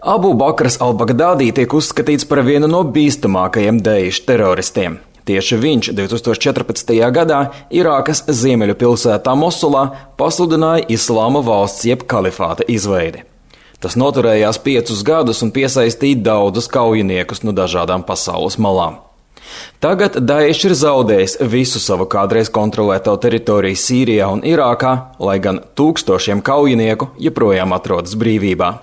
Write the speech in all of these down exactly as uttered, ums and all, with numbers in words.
Abu Bakrs al-Baghdādī tiek uzskatīts par vienu no bīstamākajiem Daesh teroristiem. Tieši viņš divs tūkstoši četrpadsmitajā gadā Irākas ziemeļu pilsētā Mosulā pasludināja Islāma valsts jeb kalifāta izveidi. Tas noturējās piecus gadus un piesaistīja daudzus kaujiniekus no dažādām pasaules malām. Tagad Daesh ir zaudējis visu savu kādreiz kontrolēto teritoriju Sīrijā un Irākā, lai gan tūkstošiem kaujinieku joprojām atrodas brīvībā.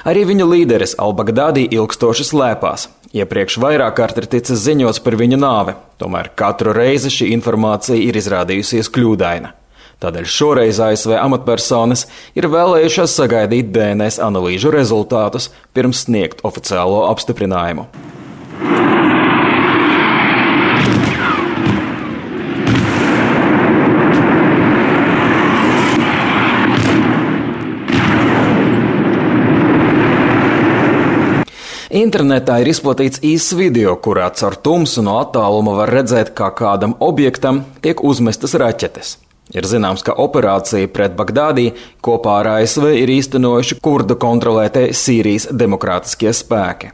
Arī viņu līderis al-Baghdādī ilgstoši slēpās. Iepriekš vairāk kārt ir ticis ziņots par viņu nāvi, tomēr katru reizi šī informācija ir izrādījusies kļūdaina. Tādēļ šoreiz A S V amatpersonas ir vēlējušās sagaidīt D N S analīžu rezultātus pirms sniegt oficiālo apstiprinājumu. Internetā ir izplatīts īss video, kurā caur tumsu no attāluma var redzēt, kā kādam objektam tiek uzmestas raķetes. Ir zināms, ka operācija pret Baghdādī kopā ar A S V ir īstenojuši kurdu kontrolētie Sīrijas demokrātiskie spēki.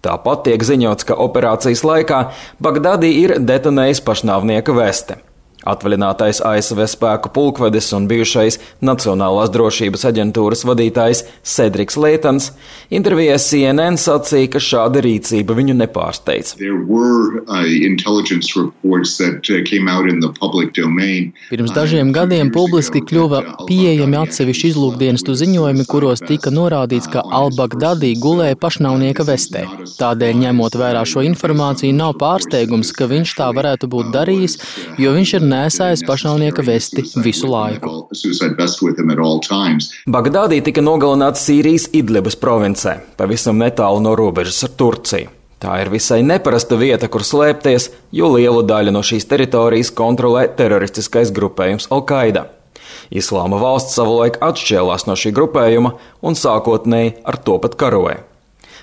Tāpat tiek ziņots, ka operācijas laikā Baghdādī ir detonējis pašnāvnieka veste. Atvaļinātais A S V spēku pulkvedis un bijušais Nacionālās drošības aģentūras vadītājs Cedriks Leitons intervijā C N N sacīja, ka šāda rīcība viņu nepārsteidz. Pirms dažiem gadiem publiski kļuva pieejami atsevišķi izlūkdienestu ziņojumi, kuros tika norādīts, ka al-Baghdādī gulēja pašnāvnieka vestē. Tādēļ, ņemot vērā šo informāciju, nav pārsteigums, ka viņš tā varētu būt darījis, jo viņš ir nesājis pašnāvnieka vesti visu laiku. Baghdādī tika nogalināts Sīrijas Idlibas provincē, pavisam netālu no robežas ar Turciju. Tā ir visai neparasta vieta, kur slēpties, jo lielu daļu no šīs teritorijas kontrolē teroristiskais grupējums Al-Qaida. Islāma valsts savulaik atšķēlās no šī grupējuma un sākotnēji ar to pat karoja.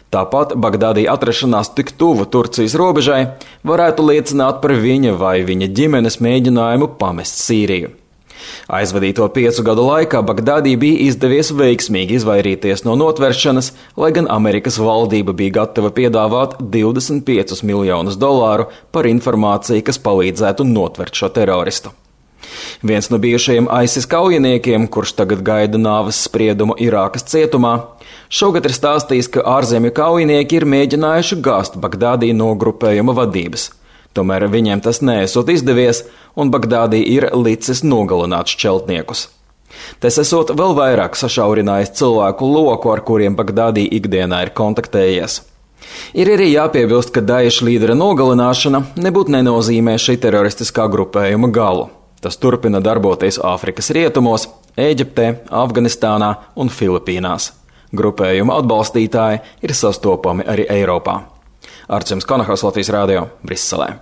Tāpat Baghdādī atrašanās tik tuvu Turcijas robežai varētu liecināt par viņa vai viņa ģimenes mēģinājumu pamest Sīriju. Aizvadīto piecu gadu laikā Baghdādī bija izdevies veiksmīgi izvairīties no notveršanas, lai gan Amerikas valdība bija gatava piedāvāt divdesmit piecus miljonus dolāru par informāciju, kas palīdzētu notvert šo teroristu. Viens no bijušajiem ISIS kaujiniekiem, kurš tagad gaida nāves spriedumu Irākas cietumā, šogad ir stājis, ka ārzemju kaujinieki ir mēģinājuši gāzt Baghdādī no grupējuma vadības. Tomēr viņiem tas neesot izdevies, un Baghdādī ir licis nogalināt šķeltniekus. Tas esot vēl vairāk sašaurinājis cilvēku loku, ar kuriem Baghdādī ikdienā ir kontaktējies. Ir arī jāpiebilst, ka Daesh līdera nogalināšana nebūtu nenozīmē šī teroristiskā grupējuma galu. Tas turpina darboties Āfrikas rietumos, Ēģiptē, Afganistānā un Filipīnās. Grupējuma atbalstītāji ir sastopami arī Eiropā. Arčuns Konahos, Latvijas Rādio, Briselē.